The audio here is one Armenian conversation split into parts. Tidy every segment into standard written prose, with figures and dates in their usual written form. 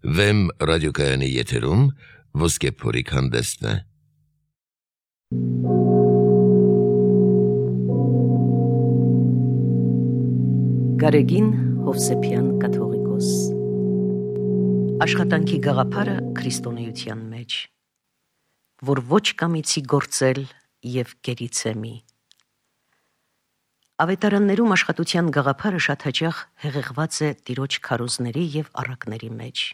Վեմ ռադիոկայանի եթերում Ոսկե փորիկ հանդեսն է։ Գարեգին Հովսեփյան կաթողիկոս։ Աշխատանքի գաղափարը քրիստոնեության մեջ, որ ոչ կամիցի գործել եւ գերիցեմի։ Ավետարաններում աշխատության գաղափարը շատ հաճախ հեղեղված է տիրոջ քարոզների եւ առակների մեջ։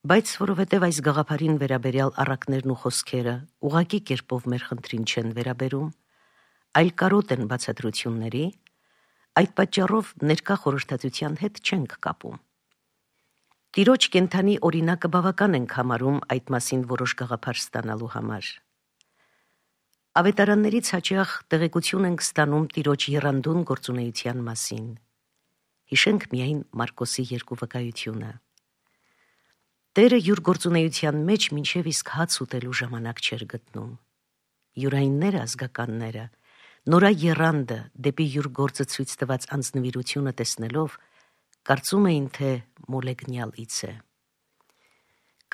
Բայց որովհետև այս գաղափարին վերաբերյալ առակներն ու խոսքերը ուղղակի կերպով մեր խնդրին չեն վերաբերում, այլ կարոտ են բացատրությունների, այդ պատճառով ներկա խորհրդատվության հետ չենք կապում։ Տիրոջ կենդանի օրինակը բավական ենք համարում այդ մասին որոշ գաղափար ստանալու համար։ Ավետարաններից հաճախ տեղեկություն ենք ստանում տիրոջ եռանդուն գործունեության մասին։ Հիշենք միայն Մարկոսի 2 վկայությունը։ Տերը յուր գործունեության մեջ մինչև իսկ հաց ուտելու ժամանակ չէր գտնում։ Յուրայինները ազգականները, նորա եռանդը դեպի յուր գործը ցույց տված անձնվիրությունը տեսնելով, կարծում էին, թե մոլեգնյալից է։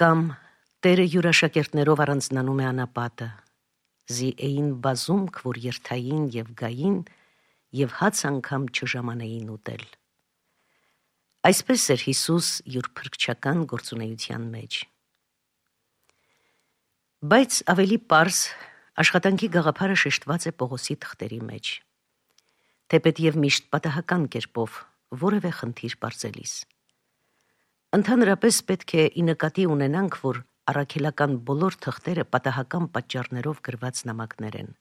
Կամ Տերը յուր աշակերտներով առանձնանում է անապատը, զի էին բազումք, որ երթային եւ գային, եւ հաց անգամ չժամանեին ուտել։ Այսպես էր Հիսուս յուր փրկչական գործունեության մեջ։ Բայց ավելի պարզ աշխատանքի գաղափարը շեշտված է Պողոսի թղթերի մեջ, թեպետ եւ միշտ պատահական կերպով որևէ խնդիր բարձելիս։ Ընդհանրապես պետք է ի նկատի ունենանք, որ առաքելական բոլոր թղթերը պատահական պատճառներով գրված նամակներ են։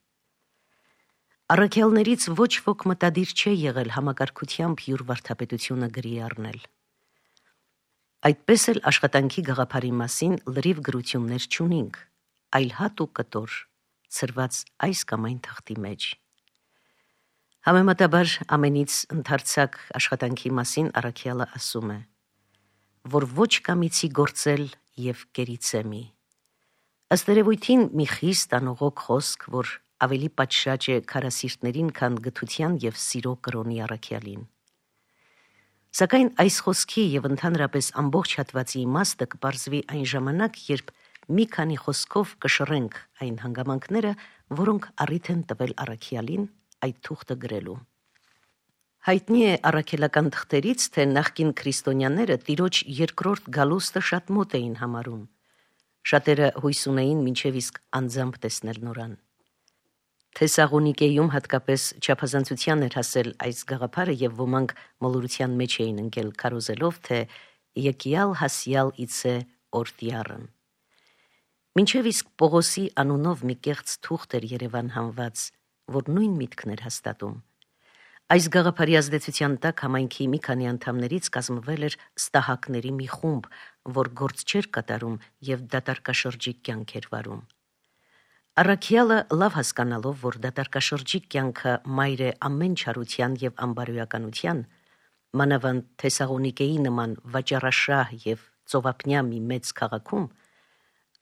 Առաքյալներից ոչ ոք մտադիր չէ եղել համակարգությամբ յուր վարդապետությունը գրի առնել։ Այդպես էլ աշխատանքի գաղափարի մասին լրիվ գրություններ չունենք, այլ հատ ու կտոր, ցրված այս կամ այն թղթի մեջ։ Համեմատաբար ամենից ընդարձակ աշխատանքի մասին առաքյալը ասում է, որ ոչ կամիցի գործել եւ գերիցեմի։ Ըստ երևույթին մի խիստ անողոք խոսք, որ ավելի պատշաճ է քարասիրտներին, քան գթության եւ սիրո կրոնի առաքյալին։ Սակայն այս խոսքի եւ ընդհանրապես ամբողջ հատվածի իմաստը կպարզվի այն ժամանակ, երբ մի քանի խոսքով կշռենք այն հանգամանքները, որոնք առիթ են տվել առաքյալին այդ թուղթը գրելու։ Հայտնի է առաքելական թղթերից, թե նախկին քրիստոնյաները տիրոջ երկրորդ գալուստը շատ մոտ էին համարում։ Շատերը հույս ունեին մինչև իսկ անձամբ տեսնել նորան։ Թեսաղոնիկեում հատկապես չափազանցության էր հասել այս գաղափարը եւ ոմանք մոլորության մեջ էին ընկել քարոզելով, թե եկյալ հասյալ իցե օրտյարն։ Մինչև իսկ Պողոսի անունով մի կեղծ թուղթ էր Երևան հանված, որ նույն միտքն էր հաստատում։ Այս գաղափարի ազդեցության տակ համայնքի մի քանի անդամներից կազմվել էր ստահակների մի խումբ, որ գործ չէր կատարում եւ դատարկաշրջիկ կյանք էր վարում։ Առաքյալը լավ հասկանալով, որ դատարկաշրջիկ կյանքը մայր է ամեն չարության եւ անբարոյականության, մանավանդ Թեսաղոնիկեի նման վաճառաշահ եւ ծովափնյա մի մեծ քաղաքում,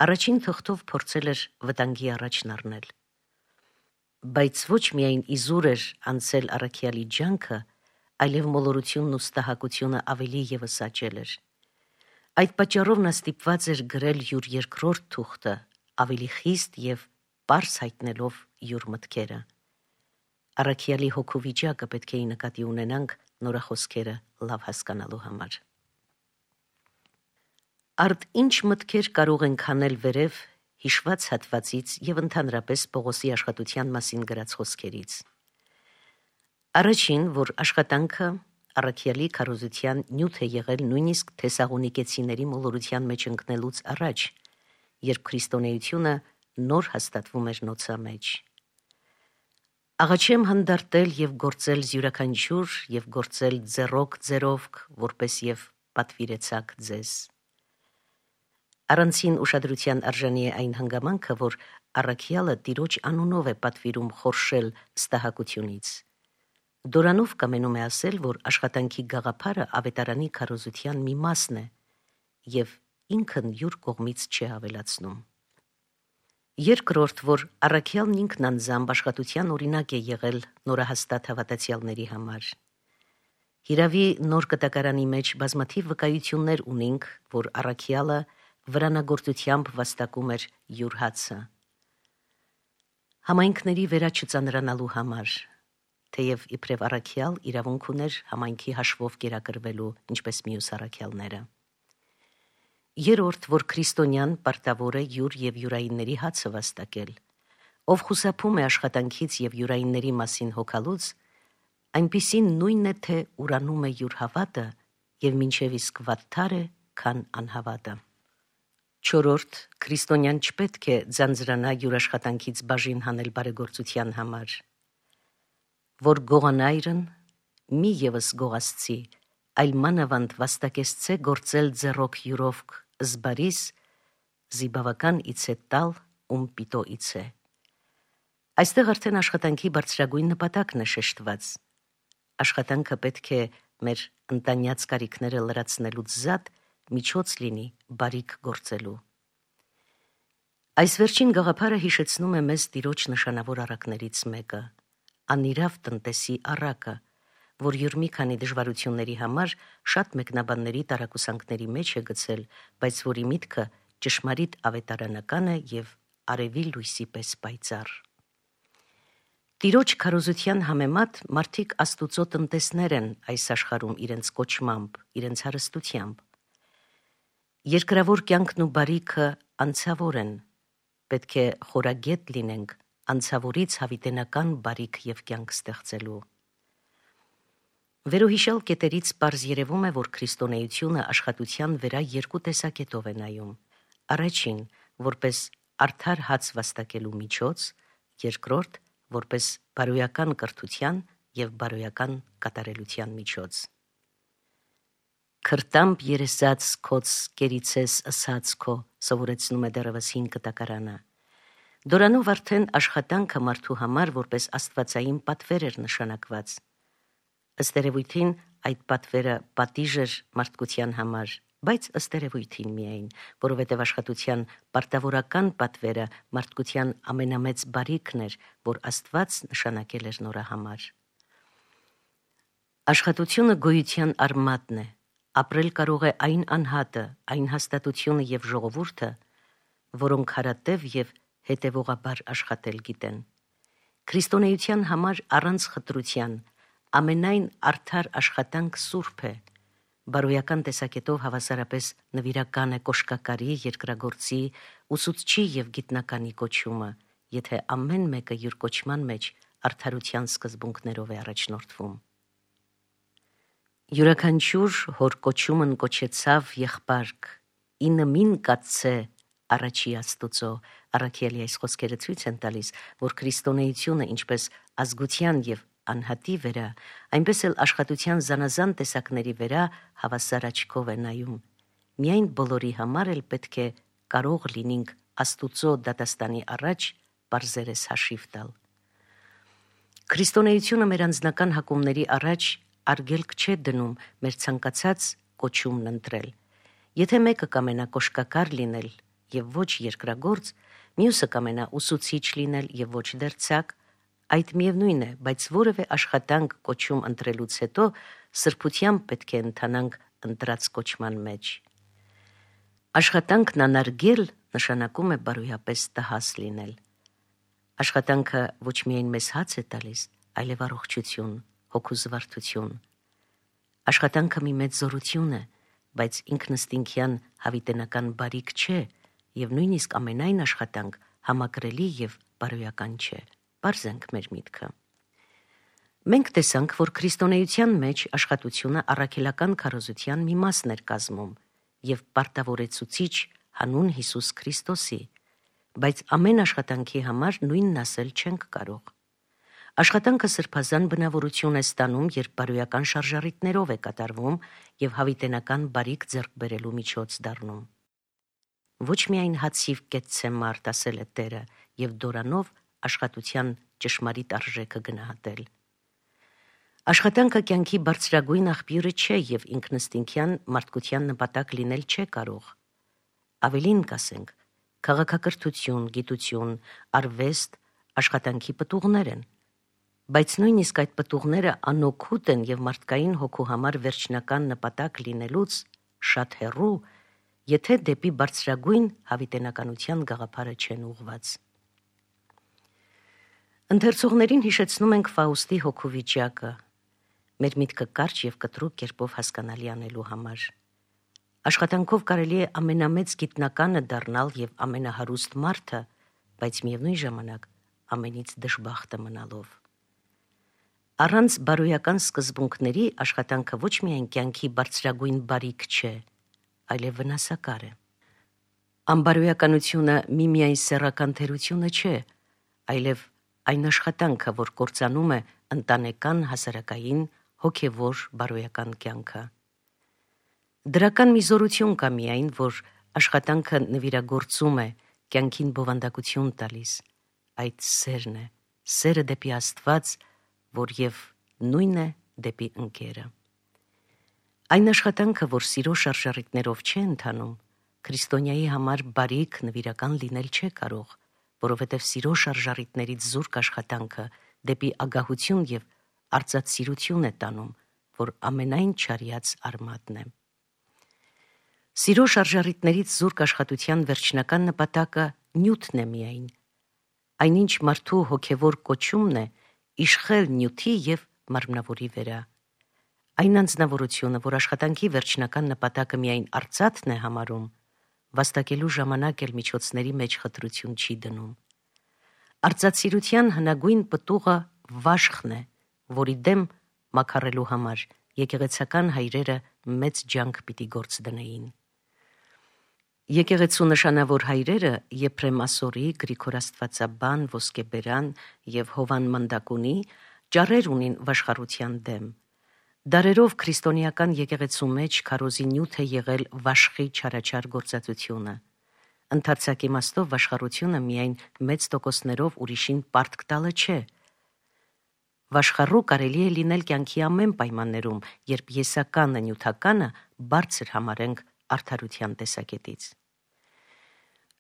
առաջին թղթով փորձել էր վտանգի առաջն առնել։ Բայց ոչ միայն իզուր էր անցել առաքյալի ջանքը, այլև մոլորությունն ու ստահակությունը ավելի եւս աճել էր։ Այդ պատճառով նա ստիպված էր գրել յուր երկրորդ թուղթը, ավելի խիստ եւ պարզ հայտնելով յուր մտքերը։ Առաքյալի հոգու վիճակը պետք է նկատի ունենանք նորախոսքերը լավ հասկանալու համար։ Արդ ինչ մտքեր կարող ենք հանել վերև հիշված հատվածից եւ ընդհանրապես Պողոսի աշխատության մասին գրած խոսքերից։ Առաջին, որ աշխատանքը առաքյալի քարոզության նյութ է եղել նույնիսկ թեսաղոնիկեցիների մոլորության մեջ ընկնելուց առաջ, երբ քրիստոնեությունը նոր հաստատվում էր նոցա մեջ։ Աղաչեմ հանդարտել եւ գործել յուրաքանչյուր եւ գործել ձեռոք ձերովք, որպես եւ պատվիրեցաք ձեզ։ Առանցին ուշադրության արժանի է այն հանգամանքը, որ առաքյալը տիրոջ անունով է պատվիրում խորշել ստահակությունից։ Դորանով կամենում է ասել, որ աշխատանքի գաղափարը ավետարանի քարոզության մի մասն է եւ ինքն յուր կողմից չի ավելացնում։ Երկրորդ, որ առաքյալն ինքն անձամբ աշխատության օրինակ է եղել նորահաստատ հավատացյալների համար։ Հիրավի նոր կտակարանի մեջ բազմաթիվ վկայություններ ունենք, որ առաքյալը վրանագործությամբ վաստակում էր յուր հացը։ Համայնքների վերաչծանրանալու համար, թեև իբրև առաքյալ իրավունք ուներ համայնքի հաշվով կերակրվելու, ինչպես մյուս առաքյալները։ Երրորդ, որ քրիստոնյան պարտավոր է յուր եւ յուրայինների հացը վաստակել, ով խուսափում է աշխատանքից եւ յուրայինների մասին հոգալուց, այնպիսին նույնն է, թե ուրանում է յուր հավատը եւ մինչեւ իսկ վատթար է, քան անհավատը։ Չորրորդ, քրիստոնյան չպետք է ձանձրանա յուր աշխատանքից բաժին հանել բարեգործության համար, որ գողանայրն մի եւս գողացցի, այլ մանավանդ վաստակեսցե գործել ձեռոք յուրով զբարիս, զիբավական իցե տալ, ում պիտո իցե։ Այստեղ արդեն աշխատանքի բարձրագույն նպատակն է շեշտված։ Աշխատանքը պետք է մեր ընտանյաց կարիքները լրացնելուց զատ միջոց լինի բարիք գործելու։ Այս վերջին գաղափարը հիշեցնում է մեզ Տիրոջ նշանավոր առակներից մեկը, անիրավ տնտեսի առակը, որ յուր մի քանի դժվարությունների համար շատ մեկնաբանների տարակուսանքների մեջ է գցել, բայց որի միտքը ճշմարիտ ավետարանական է եւ արևի լույսի պես պայծառ։ Տիրոջ քարոզության համեմատ մարդիկ Աստուծո տնտեսներ են այս աշխարհում իրենց կոչմամբ, իրենց հարստությամբ։ Երկրավոր կյանքն ու բարիքը անցավոր են, պետք է խորագետ լինենք անցավորից հավիտենական բարիք եւ կյանք ստեղծելու։ Վերոհիշյալ կետերից պարզ երևում է, որ քրիստոնեությունը աշխատության վրա երկու տեսակետով է նայում. առաջին, որպես արդար հաց վաստակելու միջոց, երկրորդ, որպես բարոյական կրթության եւ բարոյական կատարելության միջոց։ Քրտամբ երեսած քոց կերիցես ըսած քո, սովորեցնում է դեռևս 5 կտակարանը։ Դորանով արդեն աշխատանքը մարդու համար որպես աստվածային պատվեր էր նշանակված։ Ըստ երևույթին այդ պատվերը պատիժ էր մարդկության համար, բայց ըստ երևույթին միայն, որովհետև աշխատության պարտավորական պատվերը մարդկության ամենամեծ բարիքն էր, որ Աստված նշանակել էր նրա համար։ Աշխատությունը գոյության արմատն է, ապրել կարող է այն անհատը, այն հաստատությունը եւ ժողովուրդը, որոնք հարատև եւ հետևողաբար աշխատել գիտեն։ Քրիստոնեության համար առանց խտրության ամենայն արդար աշխատանք սուրբ է, բարոյական տեսակետով հավասարապես նվիրական է կոշկակարի, երկրագործի, ուսուցչի եւ գիտնականի կոչումը, եթե ամեն մեկը յուր կոչման մեջ արդարության սկզբունքներով է առաջնորդվում։ Յուրաքանչյուր հոր կոչումն կոչեցավ եղբարք, ինը մին կացցե առաջի Աստուծո, առաքյալի այս խոսքերը ցույց են տալիս, որ քրիստոնեությունը ինչպես ազգության եւ անհատի վրա, այնպես էլ աշխատության զանազան տեսակների վրա հավասար աչքով է նայում։ Միայն բոլորի համար էլ պետք է կարող լինենք Աստուծո դատաստանի առաջ պարզերես հաշիվ տալ։ Քրիստոնեությունը մեր անձնական հակումների առաջ արգելք չէ դնում մեր ցանկացած կոչումն ընտրել։ Եթե մեկը կամենա կոշկակար լինել եւ ոչ երկրագործ, մյուսը կամենա ուսուցիչ լինել եւ ոչ դերձակ, այդ միևնույն է, բայց որևէ աշխատանք կոչում ընտրելուց հետո սրբությամբ պետք է ընթանանք ընտրած կոչման մեջ։ Աշխատանքն անարգել նշանակում է բարոյապես տհաս լինել։ Աշխատանքը ոչ միայն մեզ հաց է տալիս, այլև առողջություն, հոգու զվարթություն։ Աշխատանքը մի մեծ զորություն է, բայց ինքնըստինքյան հավիտենական բարիք չէ եւ նույնիսկ ամենայն աշխատանք համակրելի եւ բարոյական չէ։ Պարզենք մեր միտքը։ Մենք տեսանք, որ քրիստոնեության մեջ աշխատությունը առաքելական քարոզության մի մասն էր կազմում եւ պարտավորեցուցիչ հանուն Հիսուս Քրիստոսի, բայց ամեն աշխատանքի համար նույնն ասել չենք կարող։ Աշխատանքը սրբազան բնավորություն է ստանում, երբ բարոյական շարժառիթներով է կատարվում եւ հավիտենական բարիք ձեռք բերելու միջոց դառնում։ Ոչ միայն հացիվ կեցցե մարդ, ասել է Տերը, եւ դորանով աշխատության ճշմարիտ արժեքը գնահատել։ Աշխատանքը կյանքի բարձրագույն աղբյուրը չէ եւ ինքնըստինքյան մարդկության նպատակ լինել չէ կարող։ Ավելին կասենք, քաղաքակրթություն, գիտություն, արվեստ աշխատանքի պտուղներ են, Բայց նույնիսկ այդ պտուղները անօգուտ են եւ մարդկային հոգու համար վերջնական նպատակ լինելուց շատ հեռու, եթե դեպի բարձրագույն հավիտենականության գաղափարը չեն ուղված։ Ընթերցողներին հիշեցնում ենք Ֆաուստի հոգու վիճակը, մեր միտքը կարճ եւ կտրուկ կերպով հասկանալի անելու համար։ Աշխատանքով կարելի է ամենամեծ գիտնականը դառնալ եւ ամենահարուստ մարդը, բայց միևնույն ժամանակ ամենից դժբախտը մնալով։ Առանց բարոյական սկզբունքների աշխատանքը ոչ միայն կյանքի բարձրագույն բարիք չէ, այլև վնասակար է։ Անբարոյականությունը միմիայն սեռական թերությունը չէ, այլև այն աշխատանքը, որ կործանում է ընտանեկան, հասարակային, հոգևոր բարոյական կյանքը։ Դրական մի զորություն կա միայն, որ աշխատանքը նվիրագործում է, կյանքին բովանդակություն տալիս, այդ սերն է, սերը դեպի Աստված, որ եւ նույն է դեպի ընկերը։ Այն աշխատանքը, որ սիրո շարժառիթներով չէ ընթանում, քրիստոնյայի համար բարիք նվիրական լինել չէ կարող, որովհետև սիրո շարժառիթներից զուրկ աշխատանքը դեպի ագահություն եւ արծաթսիրություն է տանում, որ ամենայն չարյաց արմատն է։ Սիրո շարժառիթներից զուրկ աշխատության վերջնական նպատակը նյութն է միայն, այնինչ մարդու հոգևոր կոչումն է իշխել նյութի եւ մարմնավորի վրա։ Այն անձնավորությունը, որ աշխատանքի վերջնական նպատակը միայն արծաթն է համարում, վաստակելու ժամանակ էլ միջոցների մեջ խտրություն չի դնում։ Արծաթսիրության հնագույն պտուղը վաշխն է, որի դեմ մաքարելու համար եկեղեցական հայրերը մեծ ջանք պիտի գործ դնեին։ Եկեղեցու նշանավոր հայրերը Եփրեմ Ասորի, Գրիգոր Աստվածաբան, Ոսկեբերան եւ Հովան Մնդակունի ճառեր ունին վաշխառության դեմ։ Դարերով քրիստոնեական եկեղեցու մեջ քարոզի նյութ է եղել վաշխի չարաչար գործածությունը։ Ընդարձակ իմաստով վաշխառությունը միայն մեծ տոկոսներով ուրիշին պարտք տալը չէ։ Վաշխառու կարելի է լինել կյանքի ամեն պայմաններում, երբ եսականը, նյութականը բարձր համարենք արդարության տեսակետից։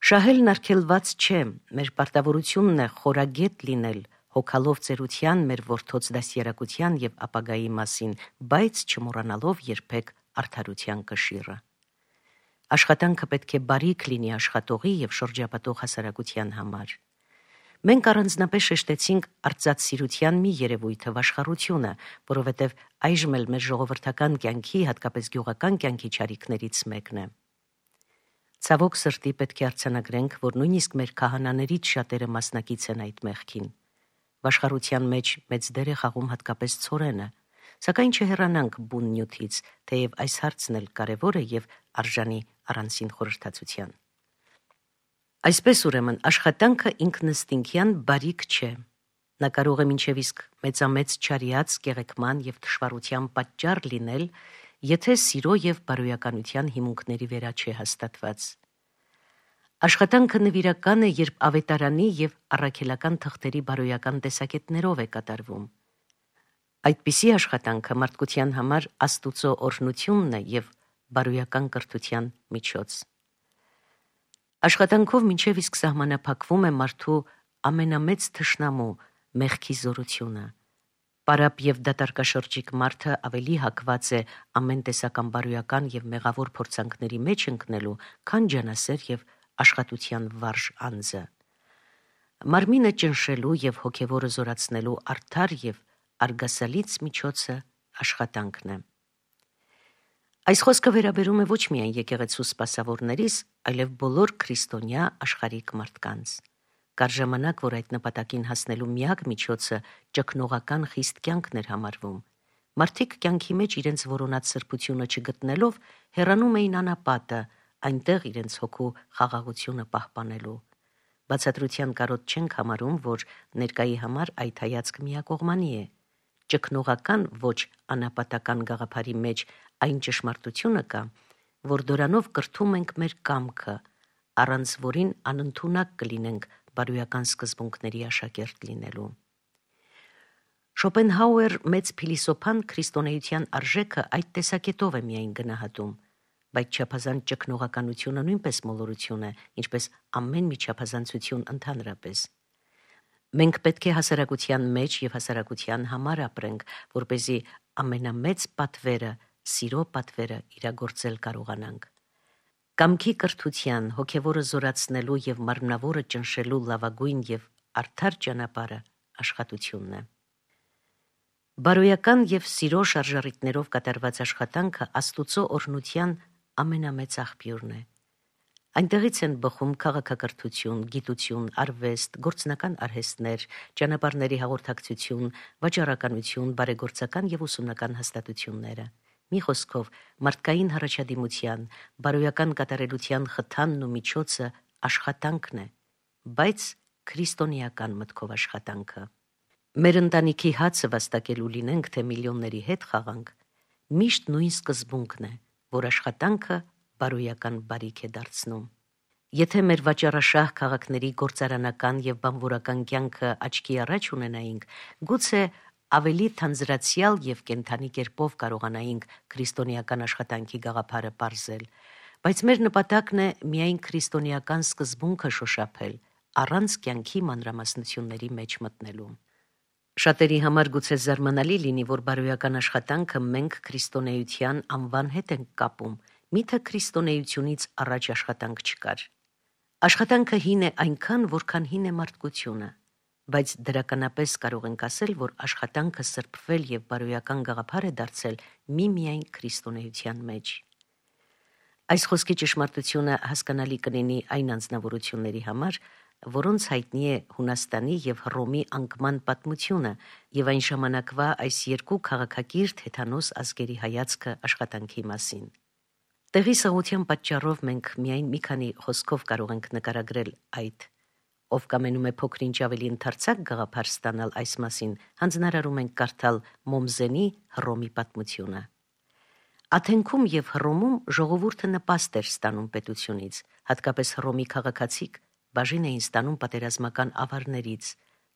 Շահելն արգելված չէ, մեր պարտավորությունն է խորագետ լինել, հոգալով ծերության մեր որդոց դաստիարակության եւ ապագայի մասին, բայց չմոռանալով երբեք արդարության կշիռը։ Աշխատանքը պետք է բարիք լինի աշխատողի եւ շրջապատող հասարակության համար։ Մենք առանձնապես շեշտեցինք արծաթսիրության մի երևույթը վաշխառությունը, որովհետեւ այժմ էլ մեր ժողովրդական կյանքի, հատկապես գյուղական կյանքի չարիքներից մեկն է։ Ցավոք սրտի պետք է արձանագրենք, որ նույնիսկ մեր քահանաներից շատերը մասնակից են այդ մեղքին։ Վաշխառության մեջ մեծ դեր է խաղում հատկապես ցորենը, սակայն չհեռանանք բուն նյութից, թեև այս հարցն էլ կարևոր է եւ արժանի առանցին խորհրդացության։ Այսպես ուրեմն աշխատանքը ինքնըստինքյան բարիք չէ։ Նա կարող է մինչև իսկ մեծամեծ չարիած, կեղեքման եւ թշվառության պատճառ լինել, եթե սիրո եւ բարոյականության հիմունքների վրա չէ հաստատված։ Աշխատանքը նվիրական է, երբ ավետարանի եւ առաքելական թղթերի բարոյական տեսակետներով է կատարվում։ Այդպիսի աշխատանքը մարդկության համար Աստուծո օրհնությունն է եւ բարոյական կրթության միջոց։ Աշխատանքով մինչև իսկ սահմանափակվում է մարդու ամենամեծ թշնամու մեղքի զորությունը։ Պարապ եւ դատարկաշրջիկ մարդը ավելի հակված է ամեն տեսական բարոյական եւ մեղավոր փորձանքների մեջ ընկնելու, քան ջանասեր եւ աշխատության վարժ անձը։ Մարմինը ճնշելու եւ հոգեվորը զորացնելու արդար եւ արգասալից միջոցը աշխատանքն է։ Այս խոսքը վերաբերում է ոչ միայն եկեղեցու սպասավորներիս, այլև բոլոր քրիստոնյա աշխարհիկ մարդկանց։ Կար ժամանակ, որ այդ նպատակին հասնելու միակ միջոցը ճգնողական խիստ կյանքն էր համարվում։ Մարդիկ կյանքի մեջ իրենց որոնած սրբությունը չգտնելով հեռանում էին անապատը, այնտեղ իրենց հոգու խաղաղությունը պահպանելու։ Բացատրության կարոտ չենք համարում, որ ներկայի համար այդ հայացք միակողմանի է։ Ճգնողական ոչ անապատական գաղափարի մեջ այն ճշմարտությունը կա, որ դրանով կրթում ենք մեր կամքը, առանց որին անընդունակ կլինենք բարոյական սկզբունքների աշակերտ լինելու։ Շոպենհաուեր մեծ փիլիսոփան քրիստոնեության արժեքը այդ տեսակետով է միայն գնահատում, բայց չափազանց ճգնողականությունը նույնպես մոլորություն է, ինչպես ամեն մի չափազանցություն ընդհանրապես։ Մենք պետք է հասարակության մեջ եւ հասարակության համար ապրենք, որպեսզի ամենամեծ պատվերը, սիրո պատվերը իրագործել կարողանանք։ Կամքի կրթության, հոգևորը զորացնելու եւ մարմնավորը ճնշելու լավագույն եւ արդար ճանապարհը աշխատությունն է։ Բարոյական եւ սիրո շարժառիթներով կատարված աշխատանքը Աստուծո օրհնության ամենամեծ աղբյուրն է։ Այնտեղից են բխում քաղաքակրթություն, գիտություն, արվեստ, գործնական արհեստներ, ճանապարհների հաղորդակցություն, վաճառականություն, բարեգործական եւ ուսումնական հաստատությունները։ Մի խոսքով, մարդկային հռչադիմության, բարոյական կատարելության խթանն ու միջոցը աշխատանքն է, բայց քրիստոնեական մտքով աշխատանքը։ Մեր ընտանիքի հացը վաստակելու լինենք, թե միլիոնների հետ խաղանք, միշտ նույն սկզբունքն է, որ աշխատանքը բարոյական բարիք է դարձնում։ Եթե մեր վաճառաշահ քաղաքների գործարանական եւ բանվորական կյանքը աչքի առաջ ունենայինք, գուցե ավելի թանձրացիալ եւ կենթանի կերպով կարողանայինք քրիստոնեական աշխատանքի գաղափարը պարզել, բայց մեր նպատակն է միայն քրիստոնեական սկզբունքը շոշափել, առանց կյանքի մանրամասնությունների մեջ մտնելու։ Շատերի համար գուցե զարմանալի լինի, որ բարոյական աշխատանքը մենք քրիստոնեության անվան հետ ենք կապում, միթե քրիստոնեությունից առաջ աշխատանք չկար։ Աշխատանքը հին է այնքան, որքան հին է մարդկությունը, բայց դրականապես կարող ենք ասել, որ աշխատանքը սրբվել եւ բարոյական գաղափար է դարձել միմիայն քրիստոնեության մեջ։ Այս խոսքի ճշմարտությունը հասկանալի կլինի այն անձնավորությունների համար, որոնց հայտնի է Հունաստանի եւ Հռոմի անկման պատմությունը եւ այն ժամանակվա այս երկու քաղաքակիրթ հեթանոս ազգերի հայացքը աշխատանքի մասին։ Տեղի սղության պատճառով մենք միայն մի քանի խոսքով կարող ենք նկարագրել այդ։ Ով կամենում է փոքրինչ ավելի ընդարձակ գաղափար ստանալ այս մասին, հանձնարարում ենք կարդալ Մոմզենի Հռոմի պատմությունը։ Աթենքում եւ Հռոմում ժողովուրդը նպաստ էր ստանում պետությունից, հատկապես Հռոմի քաղաքացիք բաժին էին ստանում պատերազմական ավարներից,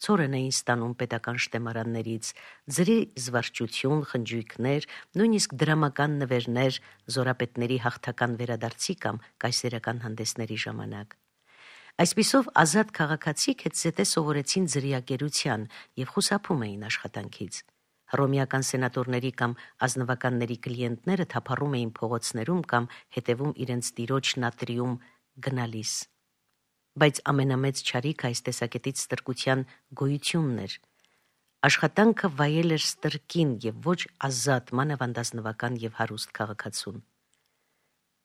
ցորեն էին ստանում պետական շտեմարաններից, ձրի զվարճություն, խնջույքներ, նույնիսկ դրամական նվերներ զորապետների հաղթական վերադարձի կամ կայսերական հանդեսների ժամանակ։ Այսպիսով ազատ քաղաքացիք հետզհետե սովորեցին ձրիակերության եւ խուսափում էին աշխատանքից։ Հռոմեական սենատորների կամ ազնվականների կլիենտները թափառում էին փողոցներում կամ հետևում իրենց տիրոջ նատրիում գնալիս։ Բայց ամենամեծ չարիքը այս տեսակետից ստրկության գոյությունն էր։ Աշխատանքը վայել էր ստրկին եւ ոչ ազատ, մանավանդազնվական եւ հարուստ քաղաքացուն։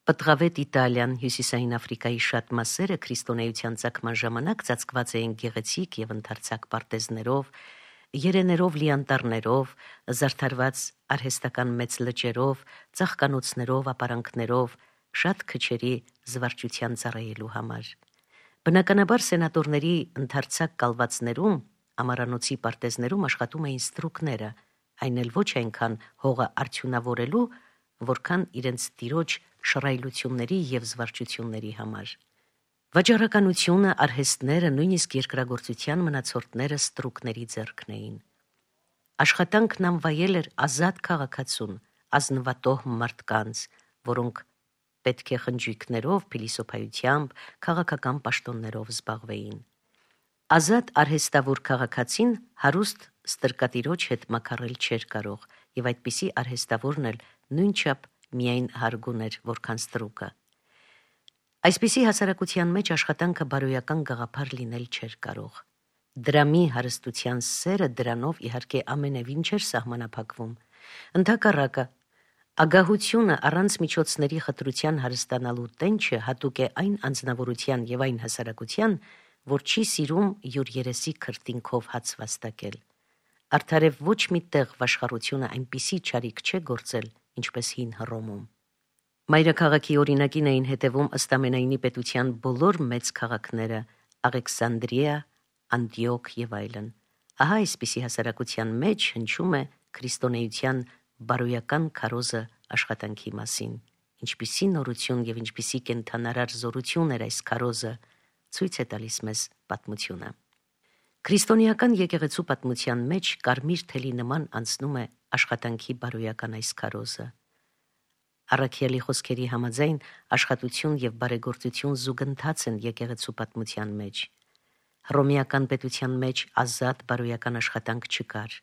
Պտղավետ Իտալիան, Հյուսիսային Աֆրիկայի շատ մասերը քրիստոնեության ծագման ժամանակ ծածկված էին գեղեցիկ եւ ընդարձակ պարտեզներով, երեներով լի անտառներով, զարդարված արհեստական մեծ լճերով, ծաղկանոցներով, ապարանքներով, շատ քչերի զվարճության ծառայելու համար։ Բնականաբար սենատորների ընդարձակ կալվածներում, ամարանոցի պարտեզներում աշխատում էին ստրուկները, այն էլ ոչ այնքան հողը արդյունավորելու, որքան իրենց տիրոջ շռայլությունների եւ զվարճությունների համար։ Վաճառականությունը, արհեստները, նույնիսկ երկրագործության մնացորդները ստրուկների ձեռքն էին։ Աշխատանքն անվայել էր ազատ քաղաքացուն, ազնվատոհ մարդկանց, որոնք պետք է խնջույքներով, փիլիսոփայությամբ, քաղաքական պաշտոններով զբաղվեին։ Ազատ արհեստավոր քաղաքացին հարուստ ստրկատիրոջ հետ մաքարել չէր կարող, եւ այդպիսի արհեստավորն էլ նույնչափ միայն հարգուն էր, որքան ստրուկը։ Այսպիսի հասարակության մեջ աշխատանքը բարոյական գաղափար լինել չէր կարող։ Դրամի հարստության սերը դրանով իհարկե ամենևին չէր սահմանափակվում։ Ընդհակառակը, ագահությունը առանց միջոցների խտրության հարստանալու տենչը հատուկ է այն անձնավորության եւ այն հասարակության, որ չի սիրում յուր երեսի քրտինքով հաց վաստակել։ Արդարև ոչ մի տեղ վաշխառությունը այնպիսի չարիք չէ գործել, ինչպես հին Հռոմում։ Մայրաքաղաքի օրինակին էին հետևում ըստ ամենայնի պետության բոլոր մեծ քաղաքները՝ Աղեքսանդրիա, Անդիոք եւ այլն։ Ահա այսպիսի հասարակության մեջ հնչում է քրիստոնեության բարոյական քարոզը աշխատանքի մասին։ Ինչպիսի նորություն եւ ինչպիսի կենթանարար զորություն էր այս քարոզը, ցույց է տալիս մեզ պատմությունը։ Քրիստոնեական եկեղեցու պատմության մեջ կարմիր թելի նման անցնում է աշխատանքի բարոյական այս քարոզը։ Առաքյալի խոսքերի համաձայն աշխատություն եւ բարեգործություն զուգընթաց են եկեղեցու պատմության մեջ։ Հռոմեական պետության մեջ ազատ բարոյական աշխատանք չկար,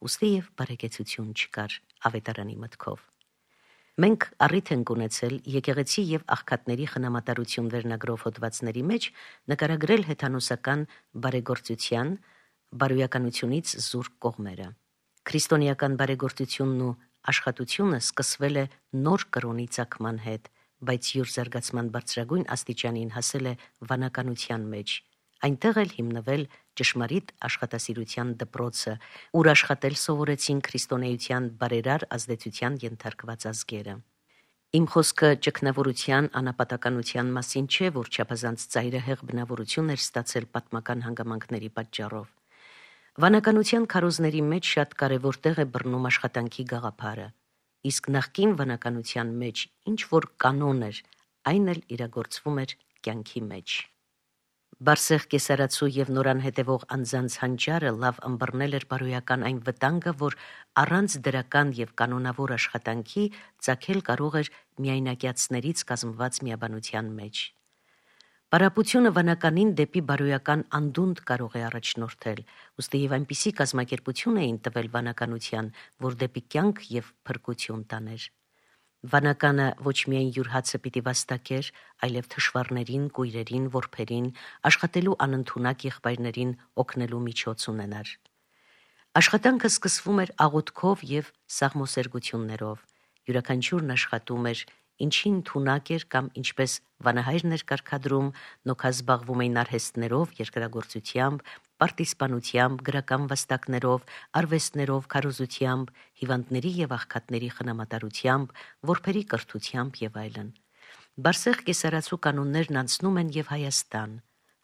ուստի եւ բարեկեցություն չկար ավետարանի մտքով։ Մենք առիթ ենք ունեցել եկեղեցի եւ աղքատների խնամատարություն վերնագրով հոդվածների մեջ նկարագրել հեթանոսական բարեգործության, բարոյականությունից զուրկ կողմերը։ Քրիստոնեական բարեգործությունն ու աշխատությունը սկսվել է նոր կրոնի ծագման հետ, բայց յուր զարգացման բարձրագույն աստիճանին հասել է վանականության մեջ։ Այնտեղ էլ հիմնվել ճշմարիտ աշխատասիրության դպրոցը, ուր աշխատել սովորեցին քրիստոնեության բարերար ազդեցության ենթարկված ազգերը։ Իմ խոսքը ճգնավորության անապատականության մասին չէ, որ չափազանց ծայրահեղ բնավորություն էր ստացել պատմական հանգամանքների պատճառով։ Վանականության քարոզների մեջ շատ կարևոր տեղ է բռնում աշխատանքի գաղափարը, իսկ նախկին վանականության մեջ ինչ որ կանոն էր, այն էլ իրագործվում էր կյանքի մեջ։ Բարսեղ կեսարացու եւ նորան հետևող անձանց հանճարը լավ ըմբռնել էր բարոյական այն վտանգը, որ առանց դրական եւ կանոնավոր աշխատանքի ծագել կարող էր միայնակյացներից կազմված միաբանության մեջ։ Պարապությունը վանականին դեպի բարոյական անդունդ կարող է առաջնորդել, ուստի եւ այնպիսի կազմակերպություն էին տվել վանականության, որ դեպի կյանք եւ փրկություն տաներ։ Վանականը ոչ միայն յուր հացը պիտի վաստակեր, այլև թշվառներին, կույրերին, որբերին, աշխատելու անընդունակ եղբայրներին օգնելու միջոց ունենար։ Աշխատանքը սկսվում էր աղոթքով եւ սաղմոսերգություններով։ Յուրաքանչյուրն աշխատում էր, ինչին թունակ էր կամ ինչպես վանահայրն էր կարգադրում, նոքա զբաղվում էին արհեստներով, երկրագործությամբ, պարտիզպանությամբ, գրական վաստակներով, արվեստներով, քարոզությամբ, հիվանդների եւ աղքատների խնամատարությամբ, որբերի կրթությամբ եւ այլն։ Բարսեղ կեսարացու կանոններն անցնում են եւ Հայաստան։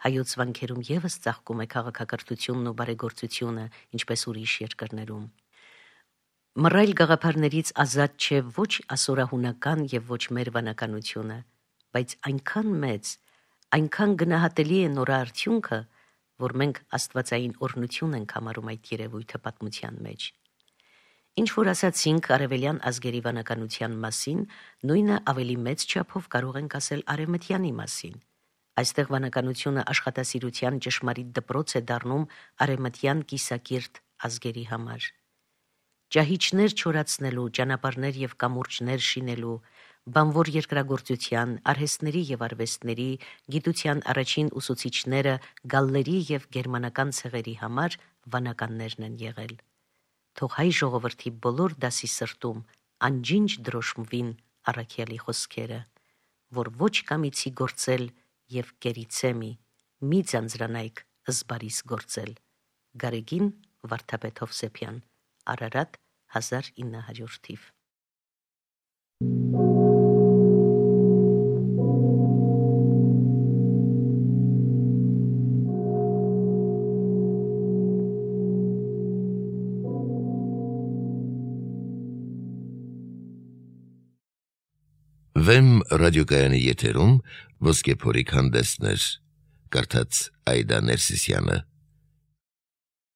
Հայոց վանքերում եւս ծաղկում է քաղաքակրթությունն ու բարեգործությունը, ինչպես ուրիշ երկրներում։ Մռայլ գաղափարներից ազատ չէ ոչ ասորահունական եւ ոչ մեր վանականությունը, բայց այնքան մեծ, այնքան գնահատելի է նորաարդյունքը, որ մենք աստվածային օրհնություն ենք համարում այդ երևույթը պատմության մեջ։ Ինչ որ ասացինք արևելյան ազգերի վանականության մասին, նույնը ավելի մեծ չափով կարող ենք ասել արևմտյանի մասին։ Այստեղ վանականությունը աշխատասիրության ճշմարիտ դպրոց է դառնում արևմտյան կիսակիրթ ազգերի համար։ Ճահիճներ չորացնելու, ճանապարհներ եւ կամուրջներ շինելու, բանվոր երկրագործության, արհեստների եւ արվեստների, գիտության առաջին ուսուցիչները գալլերի եւ գերմանական ցեղերի համար վանականներն են եղել։ Թող հայ ժողովրդի բոլոր դասի սրտում անջինջ դրոշմվին առաքյալի խոսքերը, որ ոչ կամիցի գործել եւ կերիցեմի, մի ձանձրանայք ըզբարիս գործել։ Գարեգին Վարդապետ Հովսեփյան, Արարատ 1900 թիվ։ Վեմ ռադիոկայանի եթերում ոսկե փորիկ հանդեսներ, կարդաց Այդա Ներսիսյանը։